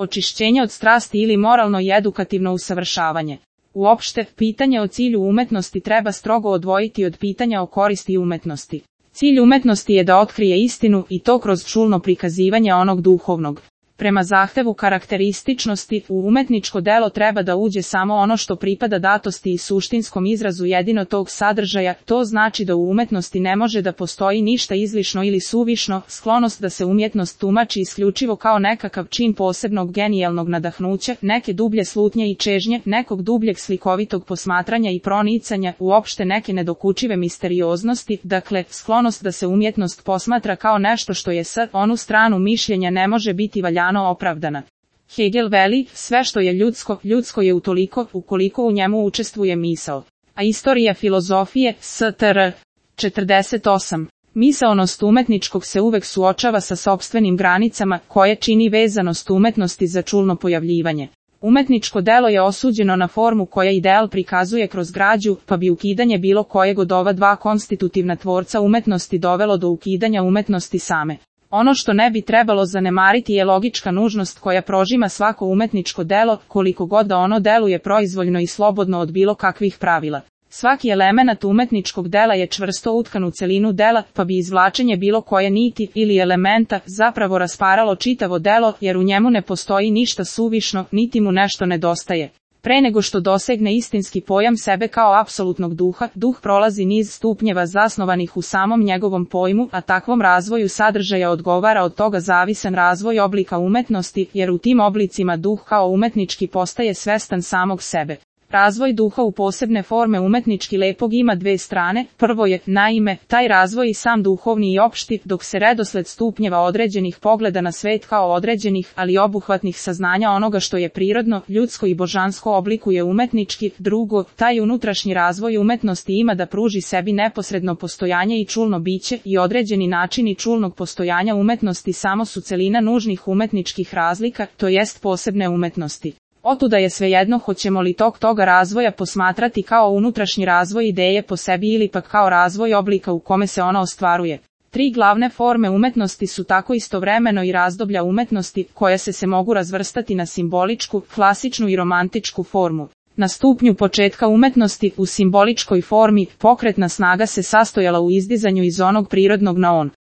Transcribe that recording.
očišćenje od strasti ili moralno i edukativno usavršavanje. Uopšte, pitanje o cilju umetnosti treba strogo odvojiti od pitanja o koristi umetnosti. Cilj umetnosti je da otkrije istinu i to kroz čulno prikazivanje onog duhovnog. Prema zahtevu karakterističnosti, u umetničko delo treba da uđe samo ono što pripada datosti i suštinskom izrazu jedino tog sadržaja, to znači da u umetnosti ne može da postoji ništa izlišno ili suvišno, sklonost da se umjetnost tumači isključivo kao nekakav čin posebnog genijalnog nadahnuća, neke dublje slutnje i čežnje, nekog dubljeg slikovitog posmatranja i pronicanja, uopšte neke nedokučive misterioznosti, dakle, sklonost da se umjetnost posmatra kao nešto što je sa onu stranu mišljenja ne može biti valjano opravdana. Hegel veli, sve što je ljudsko, ljudsko je utoliko, ukoliko u njemu učestvuje misao. A istorija filozofije, Str. 48. Misaonost umetničkog se uvek suočava sa sopstvenim granicama, koje čini vezanost umetnosti za čulno pojavljivanje. Umetničko delo je osuđeno na formu koja ideal prikazuje kroz građu, pa bi ukidanje bilo kojeg od ova dva konstitutivna tvorca umetnosti dovelo do ukidanja umetnosti same. Ono što ne bi trebalo zanemariti je logička nužnost koja prožima svako umetničko delo, koliko god da ono deluje proizvoljno i slobodno od bilo kakvih pravila. Svaki element umetničkog dela je čvrsto utkan u celinu dela, pa bi izvlačenje bilo koje niti ili elementa zapravo rasparalo čitavo delo, jer u njemu ne postoji ništa suvišno, niti mu nešto nedostaje. Pre nego što dosegne istinski pojam sebe kao apsolutnog duha, duh prolazi niz stupnjeva zasnovanih u samom njegovom pojmu, a takvom razvoju sadržaja odgovara od toga zavisan razvoj oblika umetnosti, jer u tim oblicima duh kao umetnički postaje svestan samog sebe. Razvoj duha u posebne forme umetnički lepog ima dve strane, prvo je, naime, taj razvoj i sam duhovni i opšti, dok se redosled stupnjeva određenih pogleda na svet kao određenih, ali obuhvatnih saznanja onoga što je prirodno, ljudsko i božansko oblikuje umetnički, drugo, taj unutrašnji razvoj umetnosti ima da pruži sebi neposredno postojanje i čulno biće i određeni načini čulnog postojanja umetnosti samo su celina nužnih umetničkih razlika, to jest posebne umetnosti. Otuda je svejedno hoćemo li toga razvoja posmatrati kao unutrašnji razvoj ideje po sebi ili pak kao razvoj oblika u kome se ona ostvaruje. Tri glavne forme umetnosti su tako istovremeno i razdoblja umetnosti, koja se mogu razvrstati na simboličku, klasičnu i romantičku formu. Na stupnju početka umetnosti, u simboličkoj formi, pokretna snaga se sastojala u izdizanju iz onog prirodnog na on.